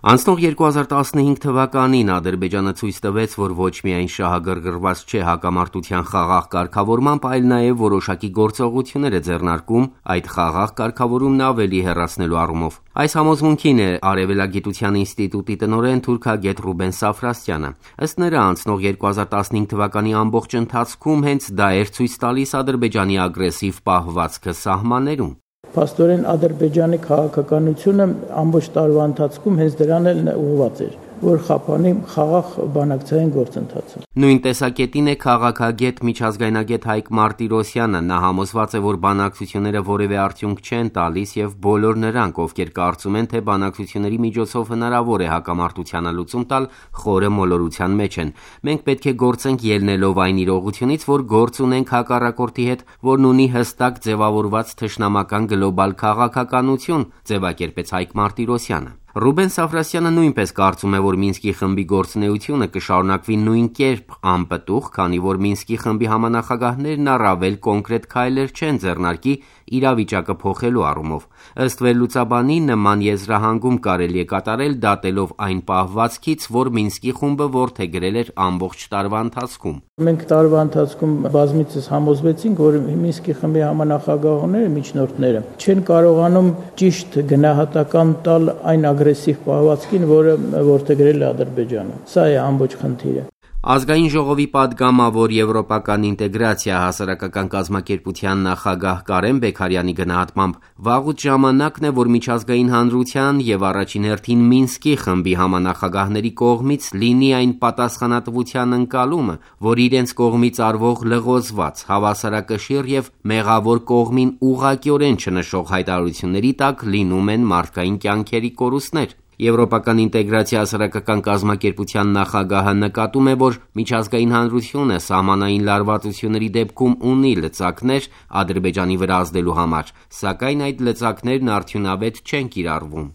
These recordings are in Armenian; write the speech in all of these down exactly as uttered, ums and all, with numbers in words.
Անցնող երկու հազար տասնհինգ թվականին Ադրբեջանը ցույց տվեց, որ ոչ միայն շահագրգռված չէ հակամարտության խաղաղ կարգավորմամբ, այլ նաև որոշակի գործողություններ է ձեռնարկում այդ խաղաղ կարգավորումն ավելի հեռացնելու առումով։ Այս համոզմունքին է Արևելագիտության ինստիտուտի տնօրեն թուրքագետ Ռուբեն Սաֆրասյանը։ Ըստ նրա, անցնող երկու հազար տասնհինգ թվականի ամբողջ ընթացքում հենց դա էր ցույց տալիս Ադրբեջանի ագրեսիվ պահվածքը սահմաններում։ Փաստորեն Ադրբեջանի քաղաքականությունը ամբողջ տարվա ընթացքում հենց դրան էլ ուղղված էր, որ խափանի խաղաղ բանակցային գործընթացը։ Նույն տեսակետին է քաղաքագետ միջազգայնագետ Հայկ Մարտիրոսյանը։ Նա համոզված է, որ բանակցությունները որևէ արդյունք չեն տալիս եւ բոլոր նրանք, ովքեր կարծում են, թե բանակցությունների միջոցով հնարավոր է հակամարտությանը լուծում տալ, խորը մոլորության մեջ են։ Մենք պետք է գործենք ելնելով այն իրողությունից, որ գործ ունենք հակառակորդի հետ, որն ունի հստակ ձևավորված թշնամական գլոբալ քաղաքականություն, ձևակերպեց Հայկ Մարտիրոսյանը։ Ռուբեն Սաֆրասյանը նույնպես կարծում է, որ Մինսկի խմբի գործունեությունը կշարունակվի նույն կերպ անպտուղ, քանի որ Մինսկի խմբի համանախագահներն առավել կոնկրետ քայլեր չեն ձեռնարկի իրավիճակը փոխելու առումով։ Ըստ վերլուծաբանի, նման եզրահանգում կարելի է կատարել դատելով այն պահվածքից, որ Մինսկի խումբը որդեգրել էր ամբողջ տարվա ընթացքում։ Մենք տարվա ընթացքում բազմիցս համոզվեցինք, որ Մինսկի խմբի համանախագահները, միջնորդները չեն կարողանում ճիշտ գնահատական տալ այն ագրեսիվ պահվածքին, որը որդեգրել է Ադրբեջանը։ Սա է ամբողջ խնդիրը։ Ազգային ժողովի պատգամավոր Եվրոպական ինտեգրացիա հասարակական կազմակերպության նախագահ Կարեն Բեքարյանի գնահատմամբ վաղուց ժամանակն է, որ միջազգային հանրության եւ առաջին հերթին Մինսկի խմբի համանախագահների կողմից լինի այն պատասխանատվության ընկալումը, որ իրենց կողմից արվող լղոզված, հավասարակշիռ եւ մեղավոր կողմին ուղղակիորեն չնշող հայտարարությունների տակ լինում են մարդկային կյանքերի կորուստներ։ Եվրոպական ինտեգրացիա հասարակական կազմակերպության նախագահը նկատում է, որ միջազգային հանրությունը սահմանային լարվածությունների դեպքում ունի լծակներ Ադրբեջանի վրա ազդելու համար, սակայն այդ լծակներն արդյունավետ չեն կիրառվում։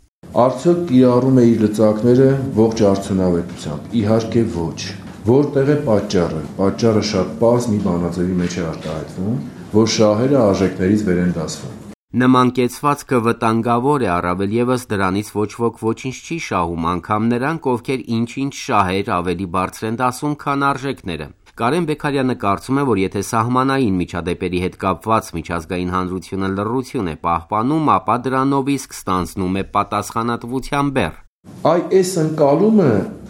Արդյոք կիրառում է իր լծակները ողջ արդյունավետությամբ։ Իհարկե ոչ։ Որտեղ է պատճառը։ Պատճառը շատ պարզ մի բանաձևի մեջ է արտահայտվում, որ շահերը արժեքներից վեր են դասվում։ Նման կեցվածքը վտանգավոր է, առավել ևս դրանից ոչ ոք ոչինչ չի շահում, անգամ նրանք, ովքեր ինչ-ինչ շահեր ավելի բարձր են դասում, քան արժեքները։ Կարեն Բեքարյանը կարծում է, որ եթե սահմանային միջադեպերի հետ կապված միջազգային հանրությունը լռություն է պահպանում, ապա դրանով իսկ ստանձնում է պատասխանատվության բեռ։ Այ այս ընկալումը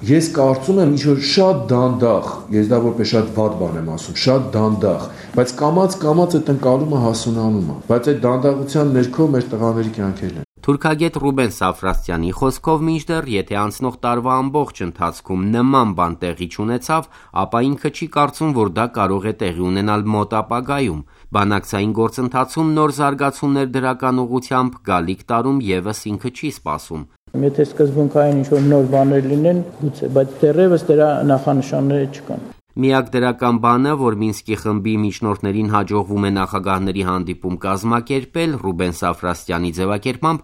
ես կարծում եմ ինչ-որ շատ դանդաղ, ես դա որպես շատ վատ բան եմ ասում, շատ դանդաղ, բայց կամաց-կամաց այդ ընկալումը հասունանում է, բայց այդ դանդաղության ներքո մեր տղաների կյանքերն են։ Թուրքագետ Ռուբեն Սաֆրասյանի խոսքով, մինչդեռ եթե անցնող տարվա ամբողջ ընթացքում նման բան տեղի չունեցավ, ապա ինքը չի կարծում, որ դա կարող է տեղի ունենալ մոտ ապագայում։ Բանակցային գործընթացում նոր զարգացումներ դրական ուղղությամբ գալիք տարում ևս ինքը չի սպասում։ Եթե սկզբունքային ինչ-որ նոր բաներ լինեն, գուցե, բայց դեռևս դրա նախանշանները չկան։ Միակ դրական բանը, որ Մինսկի խմբի միջնորդներին հաջողվում է նախագահների հանդիպում կազմակերպել, Ռուբեն Սաֆրասյանի ձևակերպմամբ,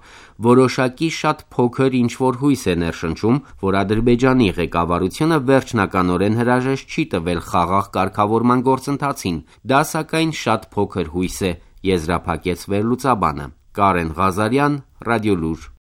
որոշակի շատ փոքր ինչ-որ հույս է ներշնչում, որ Ադրբեջանի ղեկավարությունը վերջնականորեն հրաժեշտ չի տվել խաղաղ կարգավորման գործընթացին։ Դա սակայն շատ փոքր հույս է, եզրափակեց վերլուծաբանը։ Կարեն Ղազարյան, Ռադիոլուր։